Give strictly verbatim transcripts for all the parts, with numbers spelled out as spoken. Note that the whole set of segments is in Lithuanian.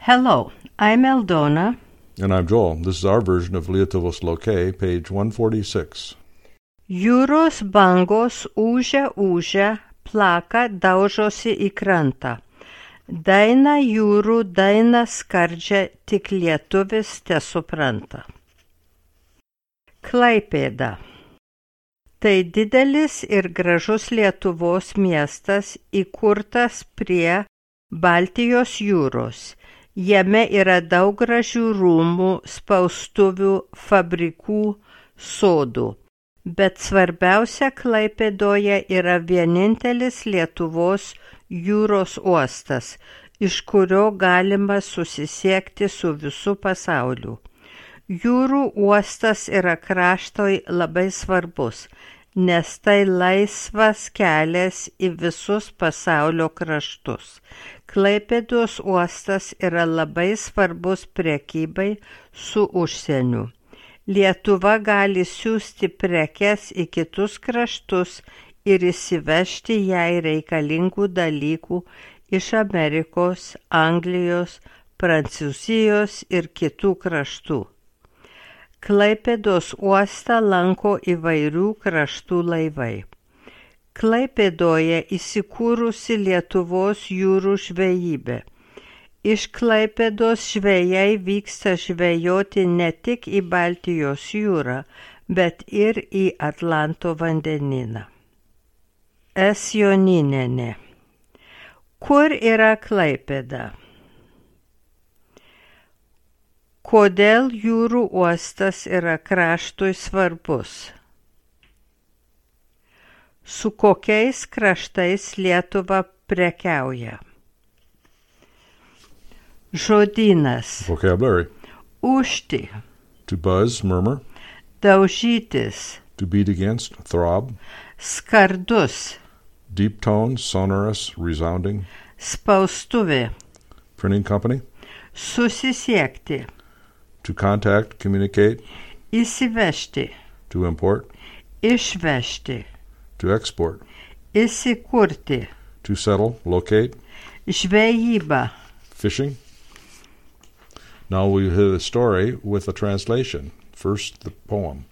Hello, I'm Eldona. And I'm Joel. This is our version of Lietuvos Lokė, page one forty-six. Jūros bangos ūžia ūžia, plaka daužosi į krantą. Daina jūrų daina skardžia, tik lietuvis tesupranta. Klaipėda. Tai didelis ir gražus Lietuvos miestas, įkurtas prie Baltijos jūros. Jame yra daug gražių rūmų, spaustuvių, fabrikų, sodų. Bet svarbiausia, Klaipėdoje yra vienintelis Lietuvos jūros uostas, iš kurio galima susisiekti su visu pasauliu. Jūrų uostas yra kraštoj labai svarbus, nes tai laisvas kelias į visus pasaulio kraštus. Klaipėdos uostas yra labai svarbus prekybai su užsieniu. Lietuva gali siųsti prekes į kitus kraštus ir įsivežti jai reikalingų dalykų iš Amerikos, Anglijos, Prancūzijos ir kitų kraštų. Klaipėdos uostą lanko įvairių kraštų laivai. Klaipėdoje įsikūrusi Lietuvos jūrų žvejybė. Iš Klaipėdos žvejai vyksta žvejoti ne tik į Baltijos jūrą, bet ir į Atlanto vandenyną. S. Joninienė. Kur yra Klaipėda? Kodėl jūrų uostas yra kraštui svarbus? Su kokiais kraštais Lietuva prekiauja? Žodynas. Vocabulary. Ūžti. To buzz, murmur. Daužytis. To beat against, throb. Skardus. Deep tone, sonorous, resounding. Spaustuvė. Printing company. Susisiekti. To contact, communicate. Įsivežti. To import. Išvežti. To export. Įsikurti. To settle, locate. Žvejyba. Fishing. Now we hear the story with a translation. First, the poem.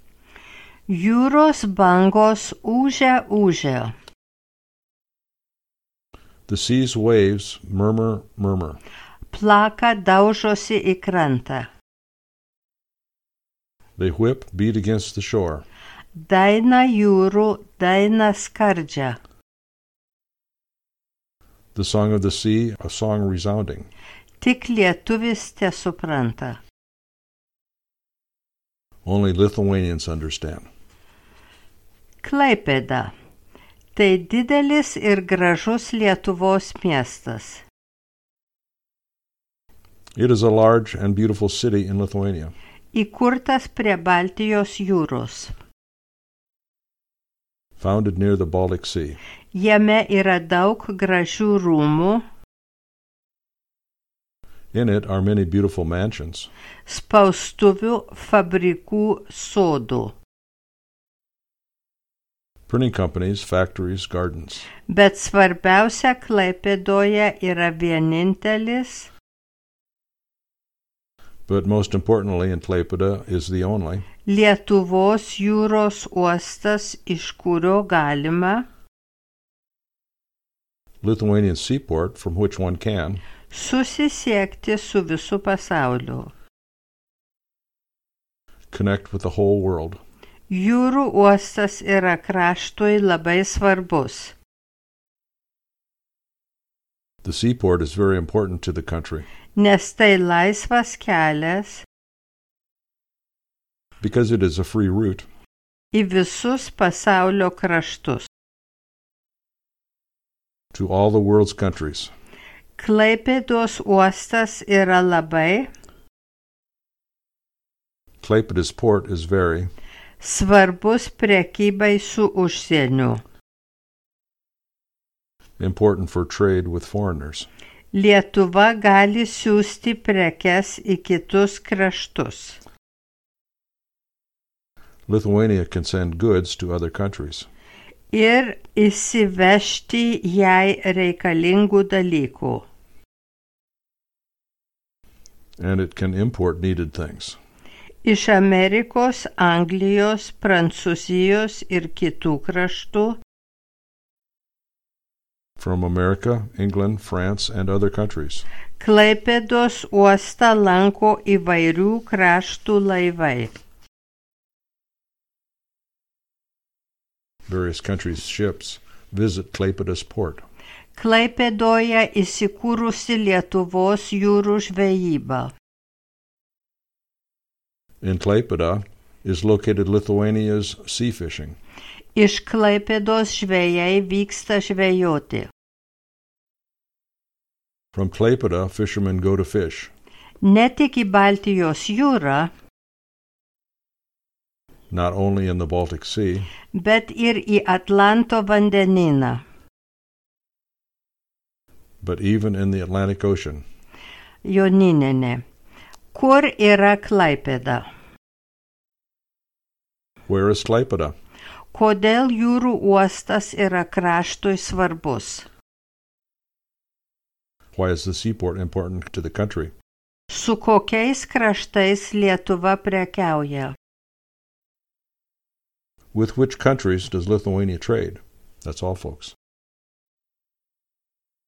Jūros bangos ūžia ūžia. The sea's waves murmur, murmur. Plaka daužosi į krantą. They whip, beat against the shore. Daina jūrų daina skardžia. The song of the sea, a song resounding. Tik lietuvis tesupranta. Only Lithuanians understand. Klaipėda. Tai didelis ir gražus Lietuvos miestas. It is a large and beautiful city in Lithuania. Įkurtas prie Baltijos jūros. Founded near the Baltic Sea. Jame yra daug gražių rūmų. In it are many beautiful mansions. Spaustuvių, fabrikų, sodų. Printing companies, factories, gardens. Bet svarbiausia, Klaipėdoje yra vienintelis. But most importantly in Klaipėda is the only. Lietuvos jūros uostas, iš kurio galima. Lithuanian seaport from which one can. Susisiekti su visu pasauliu. Connect with the whole world. Jūrų uostas yra kraštui labai svarbus. The seaport is very important to the country. Nes tai laisvas kelias. Because it is a free route. Į visus pasaulio kraštus. To all the world's countries. Klaipėdos uostas yra labai. Klaipėda's port is very. Svarbus prekybai su užsieniu. Important for trade with foreigners. Lietuva gali siųsti prekes į kitus kraštus. Lithuania can send goods to other countries. Ir įsivežti jai reikalingų dalykų. and it can import needed things. Iš Amerikos, Anglijos, Prancūzijos ir kitų kraštų From America, England, France, and other countries. Klaipėdos uostą lanko įvairių kraštų laivai. Various countries' ships visit Klaipėdos port. Klaipėdoje įsikūrusi Lietuvos jūrų žvejyba. In Klaipėda is located Lithuania's sea fishing. Iš Klaipėdos žvejai vyksta žvejoti. From Klaipėda, fishermen go to fish. Ne tik į Baltijos jūrą, not only in the Baltic Sea, bet ir į Atlanto vandenyną. but even in the Atlantic Ocean. Joninenė. Kur yra Klaipėda? Where is Klaipėda? Kodėl jūrų uostas yra kraštui svarbus? Why is the seaport important to the country? Su kokiais kraštais Lietuva prekiauja? With which countries does Lithuania trade? That's all, folks.